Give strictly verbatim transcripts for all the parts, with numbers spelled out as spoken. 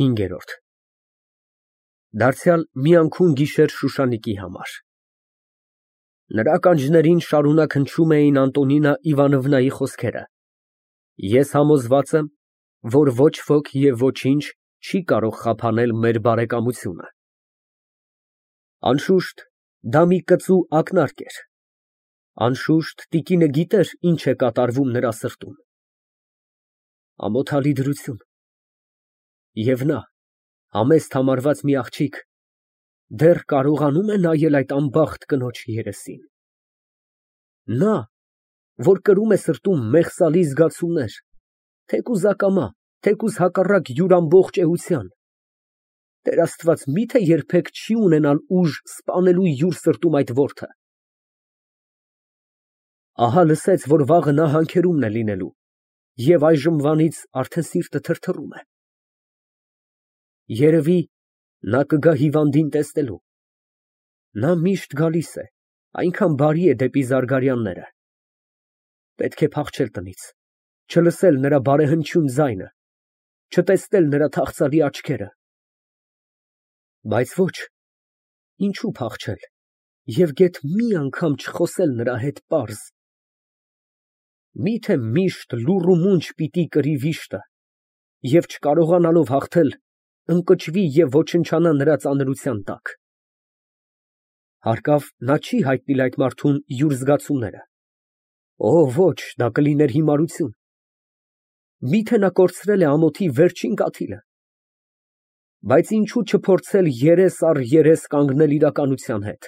ՀԻՆԳԵՐՈՐԴ Դարձյալ մի անցուն գիշեր Շուշանիկի համար։ Նրա ականջներին շարունակ հնչում էին Անտոնինա Իվանովնայի խոսքերը. Ես համոզված եմ, որ ոչ ոք և ոչինչ չի կարող խափանել մեր բարեկամությունը։ Անշուշտ, դա մի կծու ակնարկ էր, անշուշտ, տիկինը գիտեր, ինչ է կատարվում նրա սրտում։ Ամոթալի դրություն։ Եվ նա, համեստ համարված մի աղջիկ, դեռ կարողանո՞ւմ է նայել այդ անբախտ կնոջ երեսին։ Նա, որ կրում է սրտում մեղսալի զգացումներ, թեկուզ ակամա, թեկուզ հակառակ յուր ամբողջ էության, Տեր Աստված, մի՞թե երբեք չի ունենալ ուժ սպանելու յուր սրտում այդ որդը։ Ահա լսեց, որ վաղը նա հանքերումն է լինելու, և այժմվանից արդեն սիրտը թրթռում է։ Երևի, նա կգա հիվանդին տեսնելու։ Նա միշտ գալիս է, այնքան բարի է դեպի զարգարյանները։ Պետք է փախչել տնից, չլսել նրա բարեհնչյուն ձայնը, չտեսնել նրա թախծալի աչքերը։ Բայց ոչ, ինչու փախչել և գեթ մի անգամ չխոսել նրա հետ պարզ։ Մի՞թե միշտ լուռ ու մունջ պիտի կրի վիշտը և չկարողանալով հաղթել, ընկճվի և ոչնչանա նրա ծանրության տակ։ Հարկավ, նա չի հայտնել այդ մարդուն յուր զգացումները։ Օ, ոչ, դա կլիներ հիմարություն։ Մի՞թե նա կորցրել է ամոթի վերջին կաթիլը։ Բայց ինչու չփորձել երես առ երես կանգնել իրականության հետ։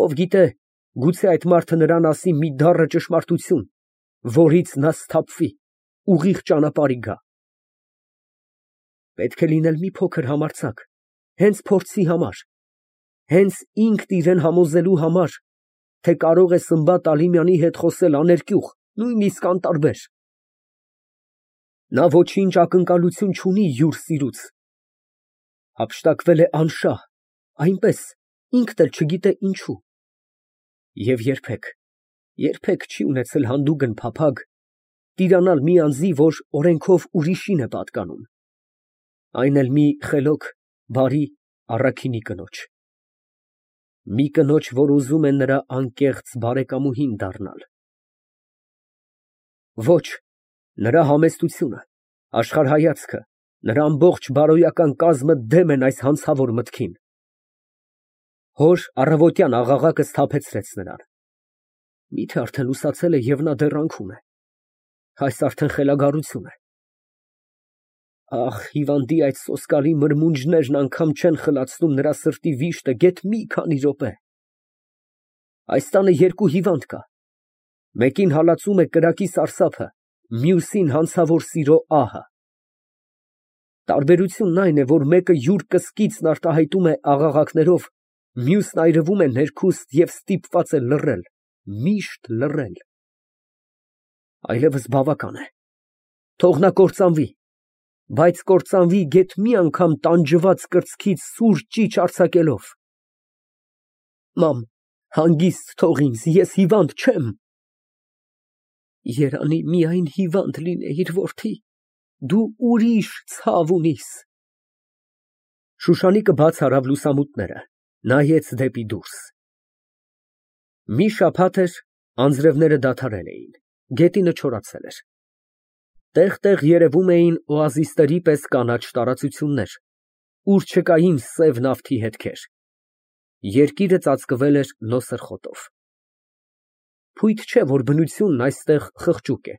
Ով գիտե, գուցե այդ մարդը նրան ասի մի դառը ճշմարտություն, որից նա սթափվի, ուղիղ ճանապարհի գա։ Պետք է լինել մի փոքր համարձակ, հենց փորձի համար, հենց ինքն իրան համոզելու համար, թե կարող է Սմբատ Ալիմյանի հետ խոսել աներկյուղ, նույնիսկ անտարբեր։ Նա ոչինչ ակնկալություն չունի յուր սիրուց։ Հափշտակվել է անշահ, այնպես, ինքն էլ չգիտե ինչու։ Եվ երբեք, երբեք չի ունեցել հանդուգն փափագ տիրանալ մի անձի, որ օրենքով ուրիշին է պատկանում, այն էլ մի խելոք, բարի, առաքինի կնոջ։ Մի կնոջ, որ ուզում է նրա անկեղծ բարեկամուհին դառնալ։ Ոչ, նրա համեստությունը, աշխարհայացքը, նրա ամբողջ բարոյական կազմը դեմ են այս հանցավոր մտքին։ Հոր առավոտյան աղաղակը սթափեցրեց նրան։ Մի՞թե արդեն լուսացել է և նա դեռ անցքում է։ Այս արդեն խելագարություն է։ Ախ, հիվանդի այդ սոսկալի մրմունջներն անգամ չեն խլացնում նրա սրտի վիշտը գեթ մի քանի րոպե։ Այս տանը երկու հիվանդ կա, մեկին հալածում է կրակի սարսափը, մյուսին հանցավոր սիրո ահը։ Տարբերությունն այն է, որ մեկը յուր կսկիծն արտահայտում է աղաղակներով, մյուսն այրվում է ներքուստ և ստիպված է լռել, միշտ լռել։ Այլևս բավական է, թող նա կործանվի, բայց կործանվի գեթ մի անգամ տանջված կրծքից սուր ճիչ արձակելով։ Մամ, հանգիստ թող ինձ, ես հիվանդ չեմ։ Երանի միայն հիվանդ լինեիր, որդի, դու ուրիշ ցավ ունիս։ Շուշանիկը բաց արավ լուսամուտները, նայեց դեպի դուրս։ Մի շաբաթ էր, անձրևները դադարել էին, գետինը չորացել էր։ Տեղ֊տեղ երևում էին օազիսների պես կանաչ տարածություններ, ուր չկային սև նավթի հետքեր։ Երկիրը ծածկվել էր նոսր խոտով։ Փույթ չէ, որ բնությունն այստեղ խղճուկ է։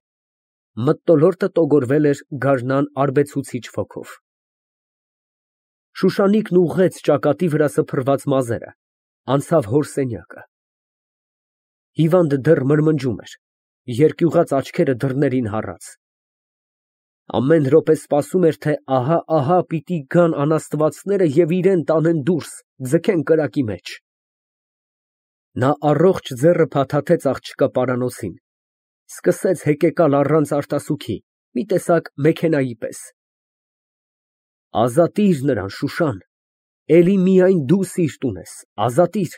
Մթնոլորտը տոգորվել էր գարնան արբեցուցիչ ոգով։ Շուշանիկն ուղղեց ճակատի վրա սփռված մազերը, անցավ հոր սենյակը։ Հիվանդը դեռ մրմնջում էր, երկյուղած աչքերը դռներին հառած։ Ամեն րոպե սպասում էր, թե ահա֊ահա պիտի գան անաստվածները և իրան տանեն դուրս, ձգեն կրակի մեջ։ Նա առողջ ձեռը փաթաթեց աղջկա պարանոցին, սկսեց հեկեկալ առանց արտասուքի, մի տեսակ մեքենայի պես։ Ազատիր նրան, Շուշան, էլի միայն դու սիրտ ունես, ազատիր։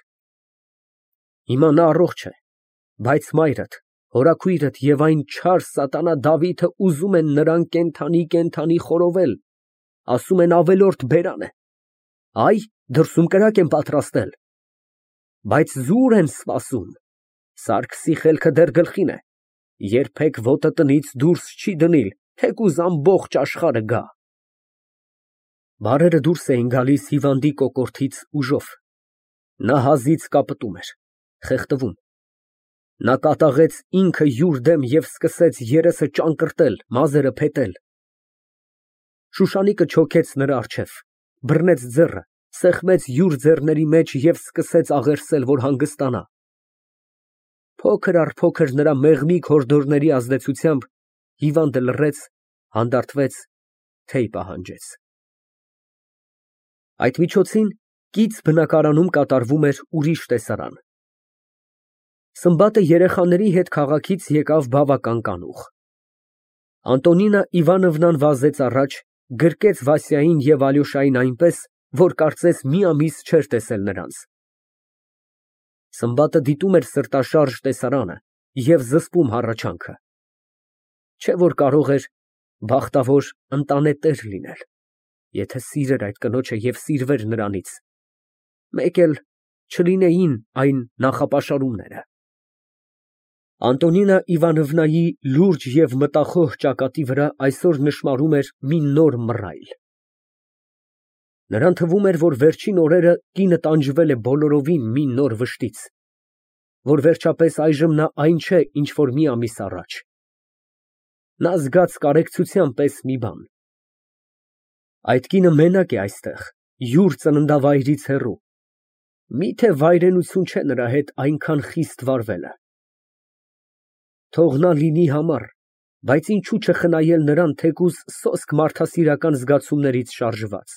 Հիմա նա առողջ է, բայց մայրդ, հորաքույրդ և այն չար սատանա Դավիթը ուզում են նրան կենդանի֊կենդանի խորովել։ ասում են ավելորդ բերան է։ Այ, դրսում կրակ են պատրաստել։ Բայց զուր են սպասում։ Սարգսի խելքը դեռ գլխին է, երբեք ոտը տնից դուրս չի դնիլ, թեկուզ ամբողջ աշխարհը գա։ Բառերը դուրս էին գալիս հիվանդի կոկորդից ուժով։ Նա հազից կապտում էր, խեղդվում։ Նա կատաղեց ինքը յուր դեմ և սկսեց երեսը ճանկռտել, մազերը փետել։ Շուշանիկը չոքեց նրա առջև, բռնեց ձեռքը, սեղմեց յուր ձեռների մեջ և սկսեց աղերսել, որ հանգստանա։ Փոքր առ փոքր նրա մեղմիկ հորդորների ազդեցությամբ հիվանդը լռեց, հանդարտվեց, թեյ պահանջեց։ Այդ միջոցին կից բնակարանում կատարվում էր ուրիշ տեսարան։ Սմբատը երեխաների հետ քաղաքից եկավ բավական կանուխ։ Անտոնինա Իվանովնան վազեց առաջ, գրկեց Վասյային և Ալյոշային այնպես, որ կարծես մի ամիս չէր տեսել նրանց։ Սմբատը դիտում էր սրտաշարժ տեսարանը և զսպում հառաչանքը։ Չէ որ կարող էր բախտավոր ընտանետեր լինել, եթե սիրեր այդ կնոջը և սիրվեր նրանից, մեկ էլ չլինեին այն նախապաշարումները։ Անտոնինա Իվանովնայի լուրջ և մտախոհ ճակատի վրա այսօր նշմարում էր մի նոր մռայլ։ Նրան թվում էր, որ վերջին օրերը կինը տանջվել է բոլորովին մի նոր վշտից, որ վերջապես այժմ նա այն չէ, ինչ որ մի ամիս առաջ։ Նա զգաց կարեկցության պես մի բան։ Այդ կինը մենակ է այստեղ, յուր ծննդավայրից հեռու, մի՞թե վայրենություն չէ նրա հետ այնքան խիստ վարվելը։ Թող նա լինի համառ, բայց ինչու չխնայել նրան թեկուզ սոսկ մարդասիրական զգացումներից շարժված։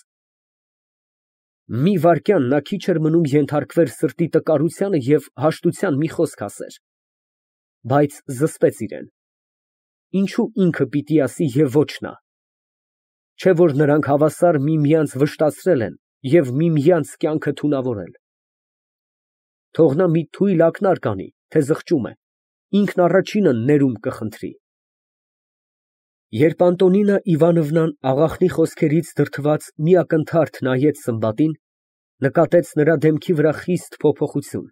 Մի վայրկյան նա քիչ էր մնում ենթարկվեր սրտի տկարությանը և հաշտության մի խոսք ասեր, բայց զսպեց իրեն։ Ինչու ինքը պիտի ասի և ոչ նա։ Չէ որ նրանք հավասար միմյանց վշտացրել են և միմյանց կյանքը թունավորել։ Թող նա մի թույլ ակնարկ անի, թե զղջում է, ինքն առաջինը ներումն կխնդրի։ Երբ Անտոնինա Իվանովնան աղախնի խոսքերից դրդված մի ակնթարթ նայեց Սմբատին, նկատեց նրա դեմքի վրա խիստ փոփոխություն։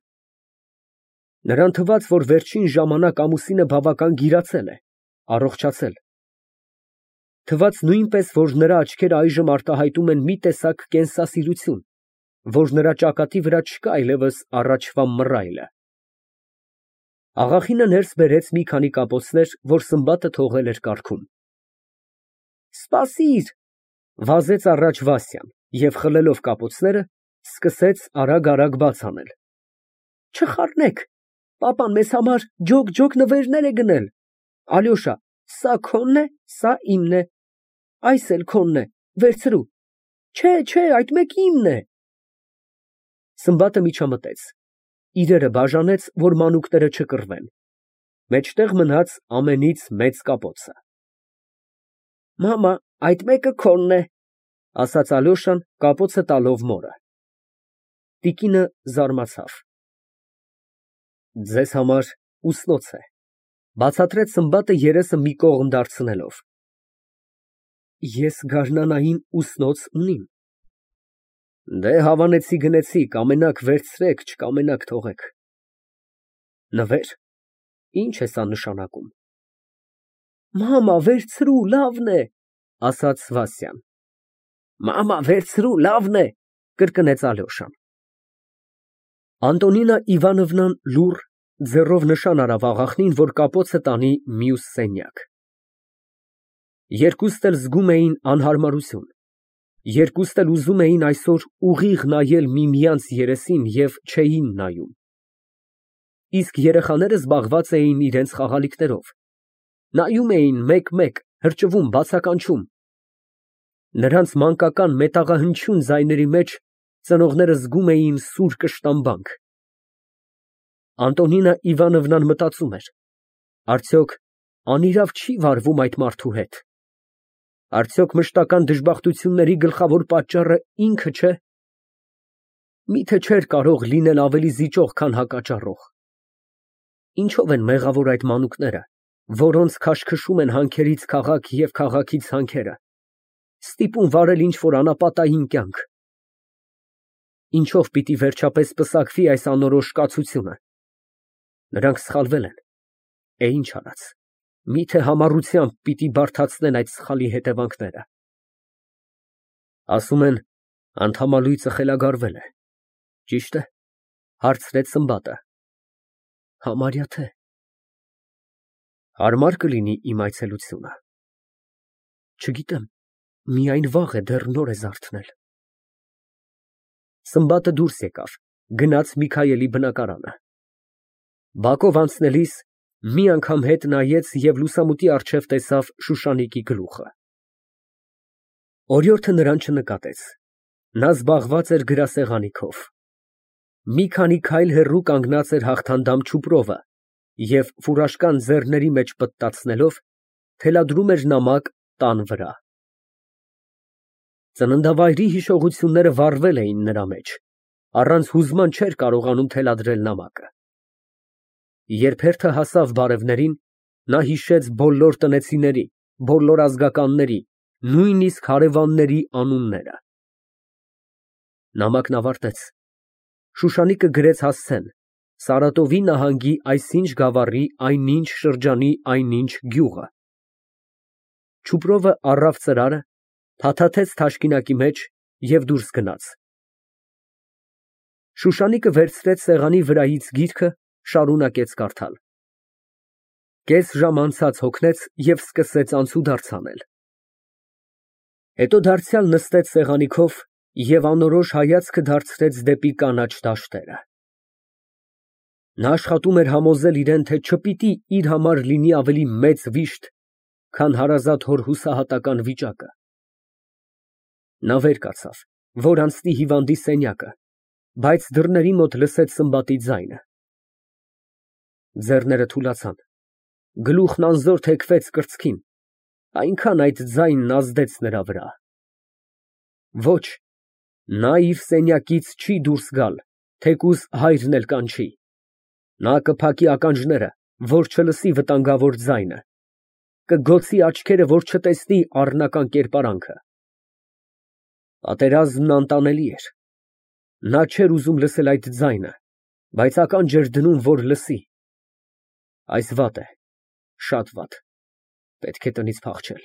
Նրան թվաց, որ վերջին ժամանակ ամուսինը բավական գիրացել է, առողջացել։ Թվաց նույնպես, որ նրա աչքերը այժմ արտահայտում են մի տեսակ կենսասիրություն, որ նրա ճակատի վրա չկա այլևս առաջվա մռայլը։ Աղախինը ներս բերեց մի քանի կապոցներ, որ Սմբատը թողել էր կառքում։ Սպասիր, վազեց առաջ Վասյան և խլելով կապոցները, սկսեց արագ֊արագ բաց անել։ Չխառնեք, պապան մեզ համար ջոկ֊ջոկ նվերներ է գնել։ Ալյոշա, սա քոնն է, սա իմն է, այս էլ քոնն է, վերցրու։ Չէ, չէ, այդ մեկը իմն է։ Սմբատը միջամտեց, իրերը բաժանեց, որ մանուկները չկռվեն։ Մեջտեղ մնաց ամենից մեծ կապոցը։ Մամա, այդ մեկը քոնն է, ասաց Ալյոշան, կապոցը տալով մորը։ Տիկինը զարմացավ։ Ձեզ համար ուսնոց է, բացատրեց Սմբատը երեսը մի կողմ դարձնելով։ Ես գարնանային ուսնոց ունիմ։ Դե հավանեցի գնեցի, կամենաք վերցրեք, չկամենաք թողեք։ Նվեր, ինչ է սա նշանակում։ Մամա, վերցրու, լավն է, ասաց Վասյան։ Մամա, վերցրու, լավն է, կրկնեց Ալյոշան։ Անտոնինա Իվանովնան լուռ ձեռով նշան արավ աղախնին, որ կապոցը տանի մյուս սենյակ։ Երկուստ էլ զգում էին անհարմարություն, երկուստ էլ ուզում էին այսօր ուղիղ նայել միմյանց երեսին և չէին նայում։ Իսկ երեխաները զբաղված էին իրենց խաղալիքներով, նայում էին մեկ֊մեկ, հրճվում, բացականչում։ Նրանց մանկական մետաղահնչյուն ձայների մեջ ծնողները զգում էին սուր կշտամբանք։ Անտոնինա Իվանովնան մտածում էր. արդյոք անիրավ չի վարվում այդ մարդու հետ։ Արդյոք մշտական դժբախտությունների գլխավոր պատճառը ինքը չէ։ Միթե չէր կարող լինել ավելի զիջող, քան հակաճառող։ Ինչո՞վ են մեղավոր այդ մանուկները, որոնց քաշքշում են հանքերից քաղաք և քաղաքից հանքերը, Ստիպում վարել ինչ֊որ անապատային կյանք։ Ինչով պիտի վերջապես պսակվի այս անորոշ կացությունը։ Նրանք սխալվել են, է ինչ արած, միթե համառությամբ պիտի բարդացնեն այդ սխալի հետևանքները։ Ասում են, անդամալույծը խելագարվել է, ճի՞շտ է, հարցրեց Սմբատը։ Համարյա թե։ Հարմար կլինի իմ այցելությունը։ Չգիտեմ, միայն վաղ է, դեռ նոր է զարթնել։ Սմբատը դուրս եկավ, գնաց Միքայելի բնակարանը։ Բակով անցնելիս մի անգամ հետ նայեց և լուսամուտի առջև տեսավ Շուշանիկի գլուխը։ Օրիորդը նրան չնկատեց, նա զբաղված էր գրասեղանի քով։ Մի քանի քայլ հեռու կանգնած էր հաղթանդամ Չուպրովը և ֆուրաշկան ձեռքերի մեջ պտտացնելով, թելադրում էր նամակ տան վրա։ Ծննդավայրի հիշողությունները վառվել էին նրա մեջ, առանց հուզման չէր կարողանում թելադրել նամակը։ Երբ հերթը հասավ բարևներին, նա հիշեց բոլոր տնեցիների, բոլոր ազգականների, նույնիսկ հարևանների անունները։ Նամակն ավարտեց։ Շուշանիկը գրեց հասցեն Սարատովի նահանգի այսինչ գավառի այնինչ շրջանի այնինչ գյուղը։ Չուպրովը առավ ծրարը, փաթաթեց թաշկինակի մեջ և դուրս գնաց։ Շուշանիկը վերցրեց սեղանի վրայից գիրքը, շարունակեց կարդալ։ Կես ժամ անցած հոգնեց և սկսեց անցուդարձ անել։ Հետո դարձյալ նստեց սեղանի քով և անորոշ հայացքը դարձրեց դեպի կանաչ դաշտերը։ Նա աշխատում էր համոզել իրան, թե չպիտի իր համար լինի ավելի մեծ վիշտ, քան հարազատ հոր հուսահատական վիճակը։ Նա վեր կացավ, որ անցնի հիվանդի սենյակը, բայց դռների մոտ լսեց Սմբատի ձայնը։ Ձեռները թուլացան, գլուխն անզոր թեքվեց կրծքին, այնքան այդ ձայնն ազդեց նրա վրա։ Ոչ, նա իր սենյակից չի դուրս գալ, թեկուզ հայրն էլ կանչի։ Նա կփակի ականջները, որ չլսի վտանգավոր ձայնը, կգոցի աչքերը, որ չտեսնի առնական կերպարանքը։ Պատերազմն անտանելի էր։ Նա չէր ուզում լսել այդ ձայնը, բայց ականջ էր դնում, որ լսի։ Այս վատ է, շատ վատ, պետք է տնից փախչել։